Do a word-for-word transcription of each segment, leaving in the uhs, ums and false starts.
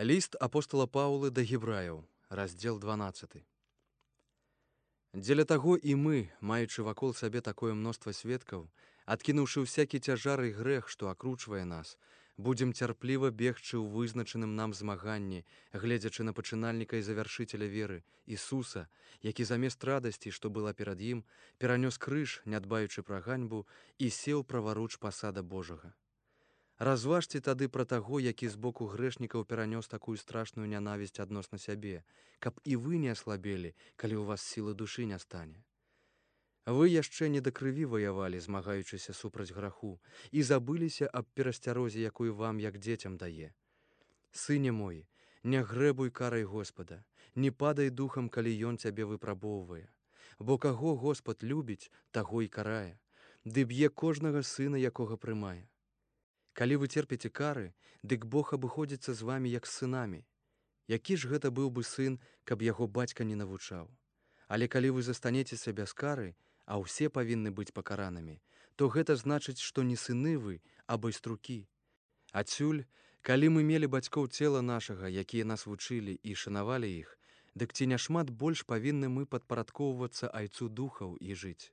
Ліст апостала Паўлы да гебраяў, раздзел дванаццаты. Дзеля таго і мы, маючы вакол сабе такое мноства сведкаў, адкінуўшы ўсякі цяжар і грэх, што акручвае нас, будзем цярпліва бегчы ў вызначаным нам змаганні, гледзячы на пачынальніка і завяршыцеля веры, Ісуса, які замест радасці, што была перад ім, перанёс крыж, не дбаючы пра ганьбу, і сеў праваруч пасада Божага. Разважце тады пра таго, які з боку грэшнікаў перанёс такую страшную нянавісць адносна сябе, каб і вы не аслабелі, калі ў вас сілы душы не стане. Вы яшчэ не да крыві ваявалі, змагаючыся супраць граху, і забыліся аб перасцярозе, якую вам, як дзецям, дае. Сыне мой, не грэбуй карай Господа, не падай духам, калі ён цябе выпрабоўвае. Бо каго Господ любіць, таго і карае, ды б'е кожнага сына, якога прымае. Калі вы церпіце кары, дык Бог абыходзіцца з вамі як з сынамі. Які ж гэта быў бы сын, каб яго бацька не навучаў? Але калі вы застанецеся без кары, а ўсе павінны быць пакаранымі, то гэта значыць, што не сыны вы, а байструкі. Адсюль, калі мы мелі бацькоў цела нашага, якія нас вучылі і шанавалі іх, дык ці няшмат больш павінны мы падпарадкоўвацца айцу духаў і жыць.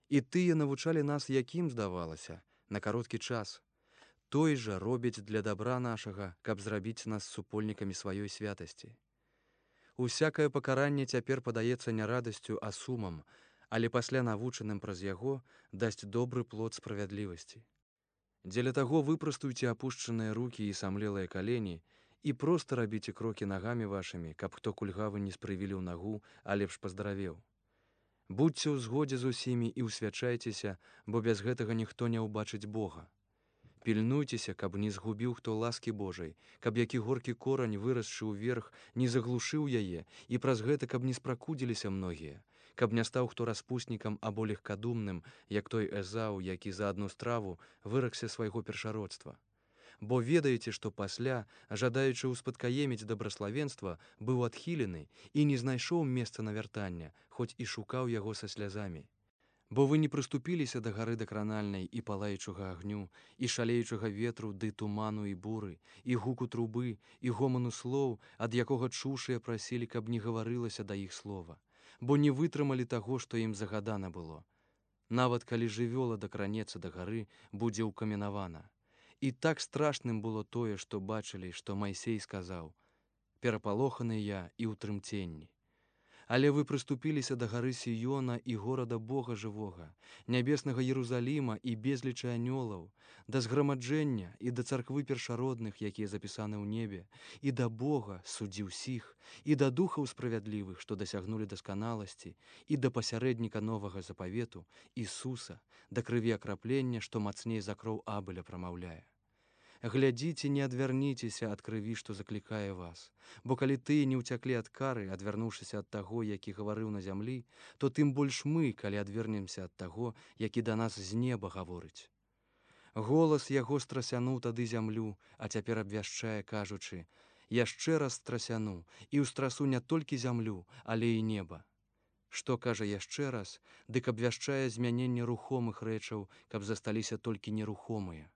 І тыя навучалі нас, якім здавалася, на кароткі час. Той жа робіць для дабра нашага, каб зрабіць нас супольнікамі сваёй святасці. Усякае пакаранне цяпер падаецца не радасцю, а сумам, але пасля навучаным праз яго дасць добры плод справядлівасці. Дзеля таго выпрастуйце апушчаныя рукі і самлелыя калені і проста рабіце крокі нагамі вашымі, каб хто кульгавы не спрывіліў нагу, а лепш паздаравеў. Будзьце ў згодзе з усімі і ўсвячайцеся, бо без гэтага ніхто не ўбачыць Бога. Пільнуйцеся, каб не згубіў хто ласкі Божай, каб які горкі корань, вырасшы ўверх, не заглушыў яе, і праз гэта, каб не спракудзіліся многія, каб не стаў хто распуснікам або легкадумным, як той Эзаў, які за адну страву выракся свайго першародства. Бо ведаеце, што пасля, жадаючы ўспадкаеміць дабраславенства, быў адхілены і не знайшоў месца навяртання, хоць і шукаў яго са слязамі. Бо вы не прыступіліся да гары дакранальнай і палаючага агню, і шалеючага ветру ды туману і буры, і гуку трубы, і гоману слоў, ад якога чушыя прасілі, каб не гаварылася да іх слова, бо не вытрымалі таго, што ім загадана было. Нават калі жывёла дакранецца да гары, будзе ўкаменавана. І так страшным было тое, што бачылі, што Майсей сказаў: «Перапалоханы я і ў трымценні». Але вы прыступіліся да гары Сіёна і горада Бога жывога, нябеснага Єрусаліма і безлічы анёлаў, да зграмаджэння і да царквы першародных, якія запісаны ў небе, і да Бога, суддзі ўсіх, і да духаў справядлівых, што дасягнулі дасканаласці, і да пасярэдніка новага запавету, Ісуса, да крыві акраплення, што мацней за кроў Абеля прамаўляе. Глядзіце, не адвярніцеся ад крыві, што заклікае вас, бо калі тыя не ўцяклі ад кары, адвярнуўшыся ад таго, які гаварыў на зямлі, то тым больш мы, калі адвернемся ад таго, які да нас з неба гаворыць. Голас яго страсянуў тады зямлю, а цяпер абвяшчае, кажучы: «Яшчэ раз страсяну, і ўстрасу не толькі зямлю, але і неба». Што кажа яшчэ раз, дык абвяшчае змяненне рухомых рэчаў, каб засталіся толькі нерухомыя.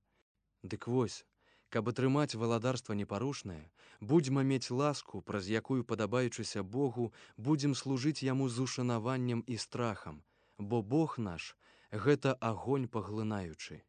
Дык вось, каб атрымаць валадарства непарушнае, будзьма мець ласку, праз якую, падабаючыся Богу, будзем служыць яму з ушанаваннем і страхам, бо Бог наш — гэта агонь паглынаючы.